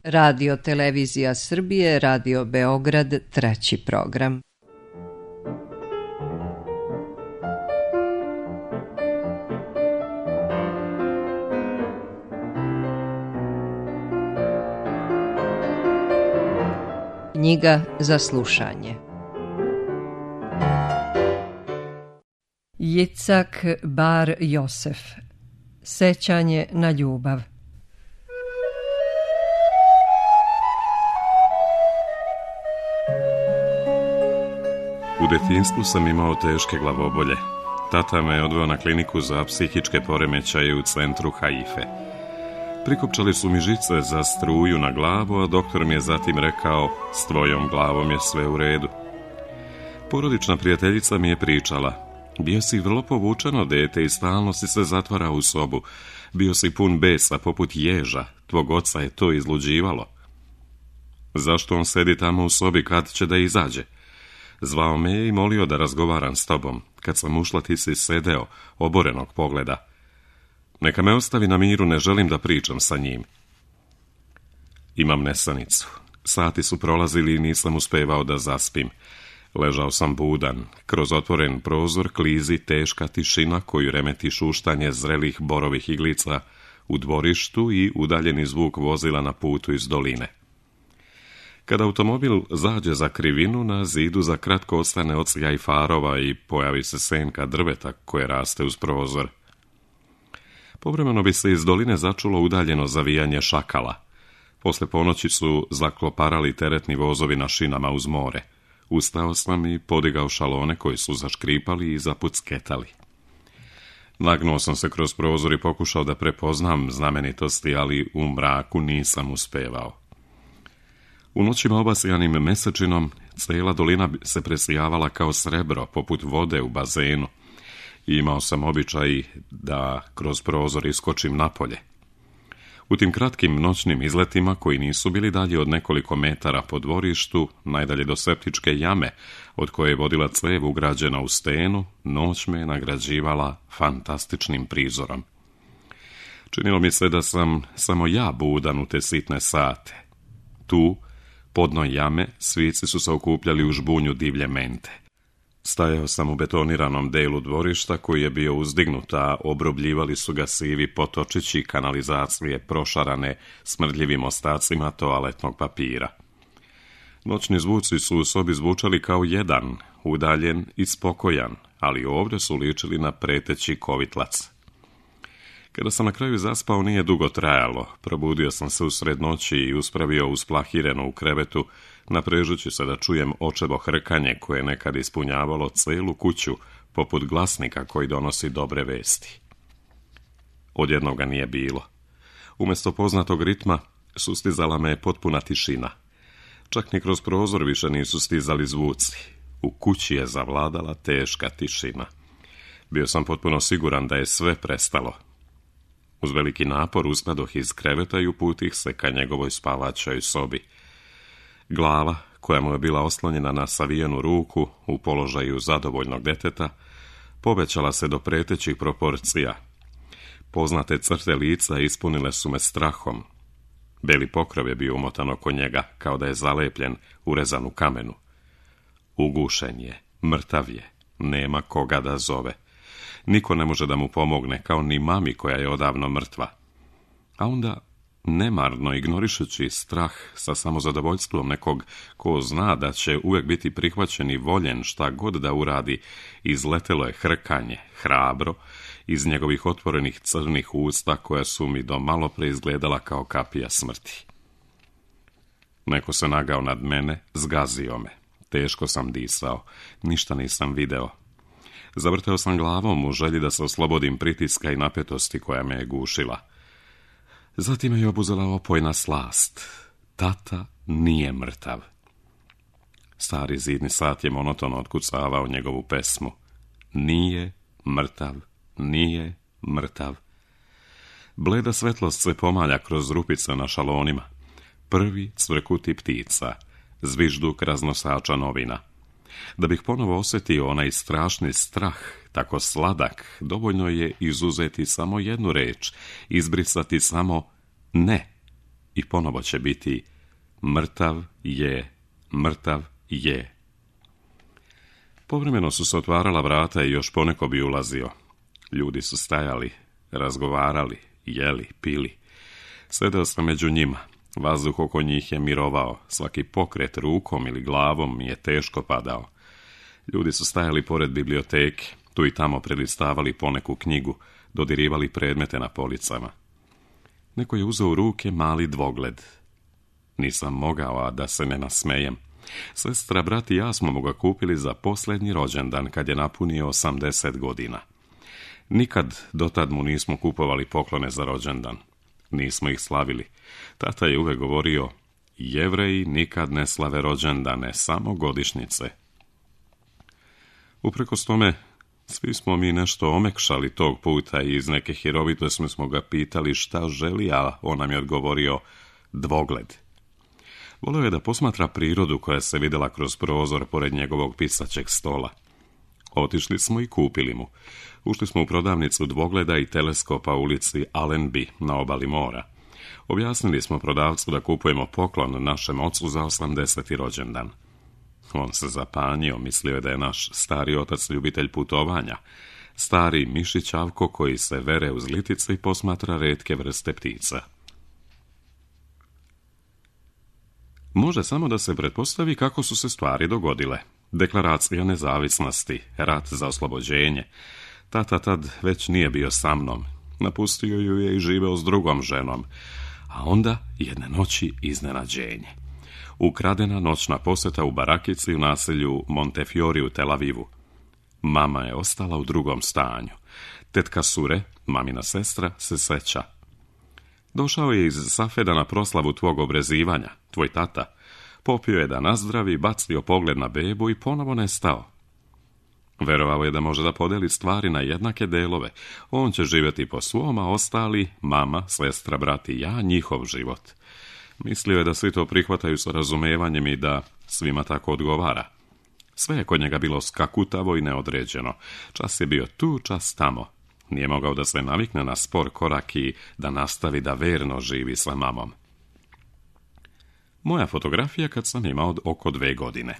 Radio Televizija Srbije, Radio Beograd, treći program. Knjiga za slušanje. Jicak Bar Josef. Sećanje na ljubav. U detinjstvu sam imao teške glavobolje. Tata me je odveo na kliniku za psihičke poremećaje u centru Haife. Prikopčali su mi žice za struju na glavu, a doktor mi je zatim rekao, s tvojom glavom je sve u redu. Porodična prijateljica mi je pričala, bio si vrlo povučeno dete i stalno si se zatvarao u sobu. Bio si pun besa poput ježa, tvog oca je to izluđivalo. Zašto on sedi tamo u sobi, kad će da izađe? Zvao me je i molio da razgovaram s tobom. Kad sam ušla, ti si sedeo, oborenog pogleda. Neka me ostavi na miru, ne želim da pričam sa njim. Imam nesanicu. Sati su prolazili i nisam uspevao da zaspim. Ležao sam budan. Kroz otvoren prozor klizi teška tišina koju remeti šuštanje zrelih borovih iglica u dvorištu i udaljeni zvuk vozila na putu iz doline. Kada automobil zađe za krivinu, na zidu za kratko ostane odsjaj farova i pojavi se senka drveta koje raste uz prozor. Povremeno bi se iz doline začulo udaljeno zavijanje šakala. Posle ponoći su zakloparali teretni vozovi na šinama uz more. Ustao sam i podigao šalone koji su zaškripali i zapucketali. Nagnuo sam se kroz prozor i pokušao da prepoznam znamenitosti, ali u mraku nisam uspevao. U noćima obasjanim mesečinom, cijela dolina se presijavala kao srebro, poput vode u bazenu. Imao sam običaj da kroz prozor iskočim napolje. U tim kratkim noćnim izletima, koji nisu bili dalje od nekoliko metara po dvorištu, najdalje do septičke jame, od koje je vodila cev ugrađena u stenu, noć me je nagrađivala fantastičnim prizorom. Činilo mi se da sam samo ja budan u te sitne sate. Tu, podno jame, svici su se okupljali u žbunju divlje mente. Stajao sam u betoniranom delu dvorišta koji je bio uzdignut, a obrobljivali su ga sivi potočići kanalizacije prošarane smrdljivim ostacima toaletnog papira. Noćni zvuci su u sobi zvučali kao jedan, udaljen i spokojan, ali ovdje su ličili na preteći kovitlac. Kada sam na kraju zaspao, nije dugo trajalo. Probudio sam se usred noći i uspravio usplahireno u krevetu, naprežući se da čujem očevo hrkanje koje je nekad ispunjavalo celu kuću, poput glasnika koji donosi dobre vesti. Odjednom ga nije bilo. Umjesto poznatog ritma, sustizala me potpuna tišina. Čak ni kroz prozor više nisu stizali zvuci. U kući je zavladala teška tišina. Bio sam potpuno siguran da je sve prestalo. Uz veliki napor ustadoh iz kreveta i uputih se ka njegovoj spavačoj sobi. Glava, koja mu je bila oslonjena na savijenu ruku u položaju zadovoljnog deteta, povećala se do pretećih proporcija. Poznate crte lica ispunile su me strahom. Beli pokrov je bio umotan oko njega, kao da je zalepljen, urezan u kamenu. Ugušen je, mrtav je, nema koga da zove. Niko ne može da mu pomogne, kao ni mami koja je odavno mrtva. A onda, nemarno ignorišući strah sa samozadovoljstvom nekog ko zna da će uvijek biti prihvaćen i voljen šta god da uradi, izletelo je hrkanje, hrabro, iz njegovih otvorenih crnih usta koja su mi do malo pre izgledala kao kapija smrti. Neko se nagao nad mene, zgazio me. Teško sam disao, ništa nisam video. Zavrteo sam glavom u želji da se oslobodim pritiska i napetosti koja me je gušila. Zatim me je obuzela opojna slast. Tata nije mrtav. Stari zidni sat je monotono otkucavao njegovu pesmu. Nije mrtav, nije mrtav. Bleda svetlost se pomalja kroz rupice na šalonima. Prvi cvrkuti ptica, zvižduk raznosača novina. Da bih ponovo osjetio onaj strašni strah, tako sladak, dovoljno je izuzeti samo jednu reč, izbrisati samo ne. i ponovo će biti mrtav je, mrtav je. Povremeno su se otvarala vrata i još poneko bi ulazio. Ljudi su stajali, razgovarali, jeli, pili. Sedeo sam među njima. Vazduh oko njih je mirovao. Svaki pokret rukom ili glavom mi je teško padao. Ljudi su stajali pored biblioteke, tu i tamo prelistavali poneku knjigu, dodirivali predmete na policama. Neko je uzeo u ruke mali dvogled. Nisam mogao, a da se ne nasmejem. Sestra, brat i ja smo mu ga kupili za posljednji rođendan, kad je napunio 80 godina. Nikad dotad mu nismo kupovali poklone za rođendan. Nismo ih slavili. Tata je uvek govorio, Jevreji nikad ne slave rođendane, samo godišnjice. Uprkos tome, svi smo mi nešto omekšali tog puta i iz neke hirovitosti smo ga pitali šta želi, a on nam je odgovorio dvogled. Voleo je da posmatra prirodu koja se vidjela kroz prozor pored njegovog pisaćeg stola. Otišli smo i kupili mu. Ušli smo u prodavnicu dvogleda i teleskopa u ulici Allenby na obali mora. Objasnili smo prodavcu da kupujemo poklon našem ocu za 80. rođendan. On se zapanjio, mislio je da je naš stari otac ljubitelj putovanja, stari mišić Avko koji se vere uz litice i posmatra retke vrste ptica. Može samo da se pretpostavi kako su se stvari dogodile. Deklaracija nezavisnosti, rat za oslobođenje. Tata tad već nije bio sa mnom. Napustio ju je i živeo s drugom ženom. A onda jedne noći iznenađenje. Ukradena noćna posjeta u barakici u naselju Montefiori u Tel Avivu. Mama je ostala u drugom stanju. Tetka Sure, mamina sestra, se seća. Došao je iz Safeda na proslavu tvog obrezivanja, tvoj tata. Popio je da nazdravi, bacio pogled na bebu i ponovo nestao. Verovao je da može da podeli stvari na jednake delove. On će živjeti po svom, a ostali, mama, sestra, brat i ja, njihov život. Mislio je da svi to prihvataju sa razumevanjem i da svima tako odgovara. Sve je kod njega bilo skakutavo i neodređeno. Čas je bio tu, čas tamo. Nije mogao da se navikne na spor korak i da nastavi da verno živi sa mamom. Moja fotografija kad sam imao oko 2 godine.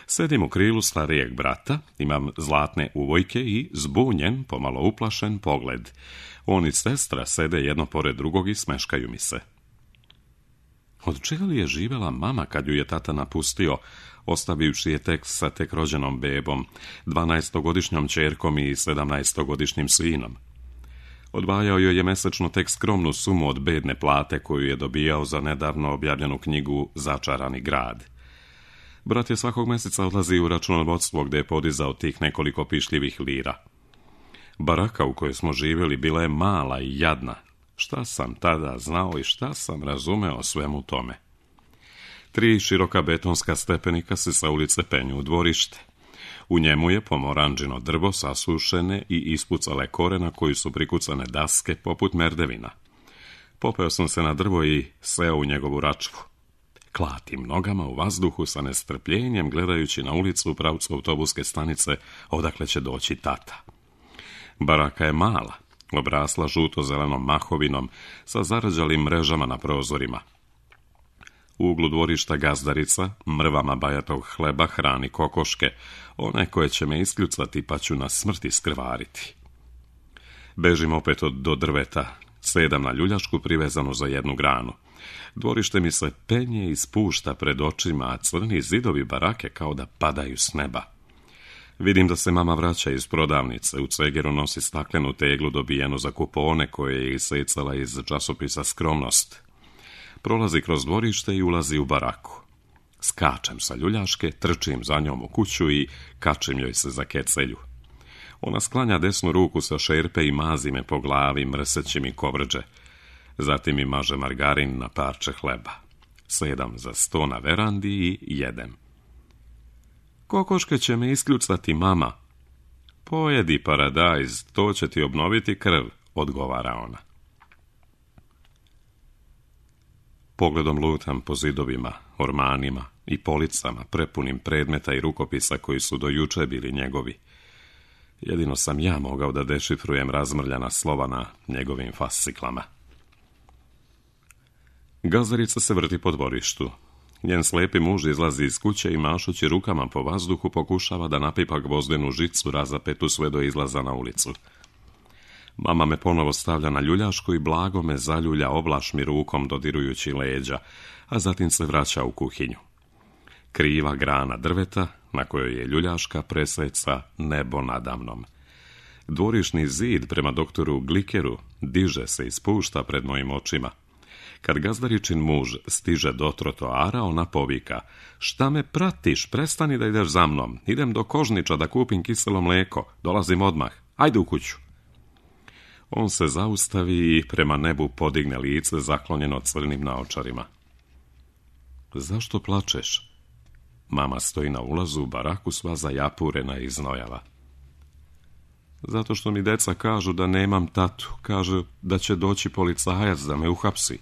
Sedim u krilu starijeg brata, imam zlatne uvojke i zbunjen, pomalo uplašen pogled. On i sestra sede jedno pored drugog i smeškaju mi se. Od čega li je živela mama kad ju je tata napustio, ostavivši je tek sa tek rođenom bebom, 12-godišnjom ćerkom i 17-godišnjim sinom? Odvajao joj je mesečno tek skromnu sumu od bedne plate koju je dobijao za nedavno objavljenu knjigu Začarani grad. Brat je svakog mjeseca odlazio u računovodstvo gdje je podizao tih nekoliko pišljivih lira. Baraka u kojoj smo živjeli bila je mala i jadna. Šta sam tada znao i šta sam razumeo svemu tome? 3 široka betonska stepenika se sa ulice penju u dvorište. U njemu je pomoranđino drvo sasušene i ispucale kore na koji su prikucane daske poput merdevina. Popeo sam se na drvo i seo u njegovu račvu. Klatim nogama u vazduhu sa nestrpljenjem gledajući na ulicu u pravcu autobuske stanice odakle će doći tata. Baraka je mala, obrasla žuto-zelenom mahovinom sa zarađalim mrežama na prozorima. U uglu dvorišta gazdarica, mrvama bajatog hleba hrani kokoške, one koje će me iskljucati pa ću na smrt iskrvariti. Bežim opet do drveta, sedam na ljuljašku privezanu za jednu granu. Dvorište mi se penje i spušta pred očima, a crni zidovi barake kao da padaju s neba. Vidim da se mama vraća iz prodavnice, u cegeru nosi staklenu teglu dobijenu za kupone koje je isecala iz časopisa Skromnost. Prolazi kroz dvorište i ulazi u baraku. Skačem sa ljuljaške, trčim za njom u kuću i kačim joj se za kecelju. Ona sklanja desnu ruku sa šerpe i mazi me po glavi, mrseći mi kovrđe. Zatim mi maže margarin na parče hleba. Sedam za sto na verandi i jedem. Kokoške će me iskljucati, mama. Pojedi paradajz, to će ti obnoviti krv, odgovara ona. Pogledom lutam po zidovima, ormanima i policama, prepunim predmeta i rukopisa koji su do juče bili njegovi. Jedino sam ja mogao da dešifrujem razmrljana slova na njegovim fasciklama. Gazdarica se vrti po dvorištu. Njen slepi muž izlazi iz kuće i mašući rukama po vazduhu pokušava da napipa gvozdenu žicu razapetu sve do izlaza na ulicu. Mama me ponovo stavlja na ljuljašku i blago me zaljulja oblašmi rukom dodirujući leđa, a zatim se vraća u kuhinju. Kriva grana drveta, na kojoj je ljuljaška, preseca nebo nadamnom. Dvorišni zid prema doktoru Glikeru diže se i spušta pred mojim očima. Kad gazdaričin muž stiže do trotoara, ona povika: "Šta me pratiš? Prestani da ideš za mnom. Idem do Kožniča da kupim kiselo mlijeko. Dolazim odmah. Ajde u kuću." On se zaustavi i prema nebu podigne lice zaklonjeno crnim naočarima. "Zašto plačeš?" Mama stoji na ulazu u baraku sva zajapurena i znojava. "Zato što mi deca kažu da nemam tatu. Kažu da će doći policajac da me uhapsi."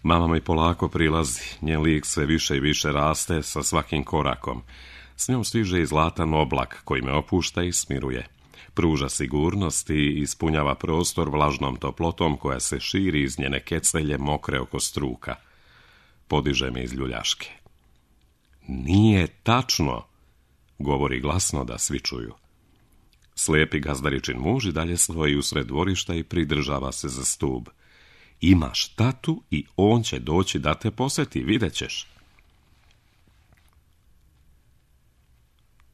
Mama mi polako prilazi, njen lik sve više i više raste sa svakim korakom. S njom stiže i zlatan oblak koji me opušta i smiruje. Pruža sigurnost i ispunjava prostor vlažnom toplotom koja se širi iz njene kecelje mokre oko struka. Podiže me iz ljuljaške. "Nije tačno," govori glasno da svi čuju. Slijepi gazdaričin muž i dalje stoji usred dvorišta i pridržava se za stub. "Imaš tatu i on će doći da te posjeti, vidjet ćeš."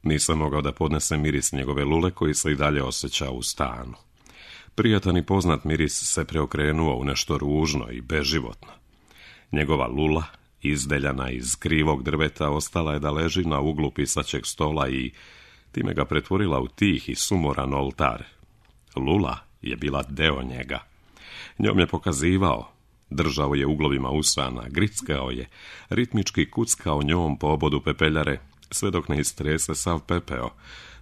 Nisam mogao da podnesem miris njegove lule koji se i dalje osjeća u stanu. Prijatan i poznat miris se preokrenuo u nešto ružno i beživotno. Njegova lula, izdeljana iz krivog drveta, ostala je da leži na uglu pisaćeg stola i time ga pretvorila u tih i sumoran oltar. Lula je bila deo njega. Njom je pokazivao, držao je uglovima usana, grickao je, ritmički kuckao njom po obodu pepeljare, sve dok ne istrese sav pepeo.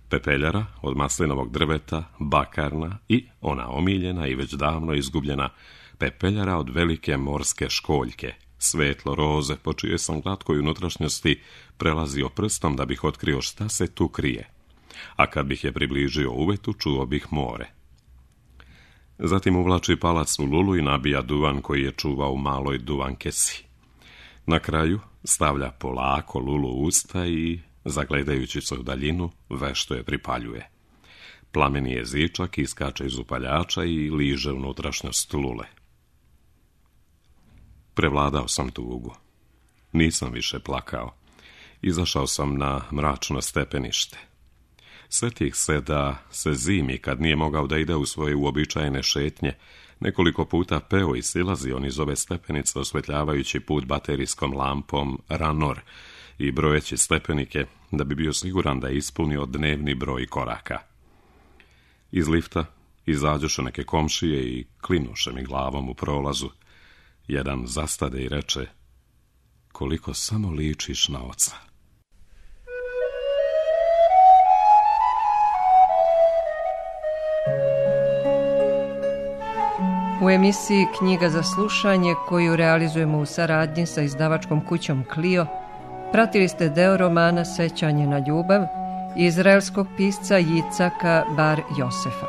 Pepeljara od maslinovog drveta, bakarna i ona omiljena i već davno izgubljena pepeljara od velike morske školjke, svetlo roze, po čije sam glatkoj unutrašnjosti prelazio prstom da bih otkrio šta se tu krije. A kad bih je približio uvetu, čuo bih more. Zatim uvlači palac u lulu i nabija duvan koji je čuvao u maloj duvan kesi. Na kraju stavlja polako lulu u usta i, zagledajući se u daljinu, vešto je pripaljuje. Plameni jezičak iskače iz upaljača i liže unutrašnjost lule. Prevladao sam tugu. Nisam više plakao. Izašao sam na mračno stepenište. Sjetih se da se zimi, kad nije mogao da ide u svoje uobičajene šetnje, nekoliko puta peo i silazio niz ove stepenice osvetljavajući put baterijskom lampom Ranor i brojeći stepenike da bi bio siguran da je ispunio dnevni broj koraka. Iz lifta izađoše neke komšije i klinuše mi glavom u prolazu. Jedan zastade i reče: "Koliko samo ličiš na oca." U emisiji Knjiga za slušanje, koju realizujemo u saradnji sa izdavačkom kućom Clio, pratili ste deo romana Sećanje na ljubav izraelskog pisca Jicaka Bar Josefa.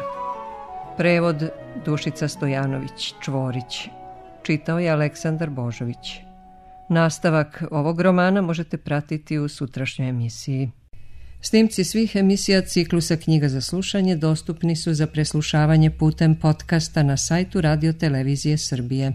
Prevod Dušica Stojanović Čvorić. Čitao je Aleksandar Božović. Nastavak ovog romana možete pratiti u sutrašnjoj emisiji. Snimci svih emisija ciklusa Knjiga za slušanje dostupni su za preslušavanje putem podcasta na sajtu Radio Televizije Srbije.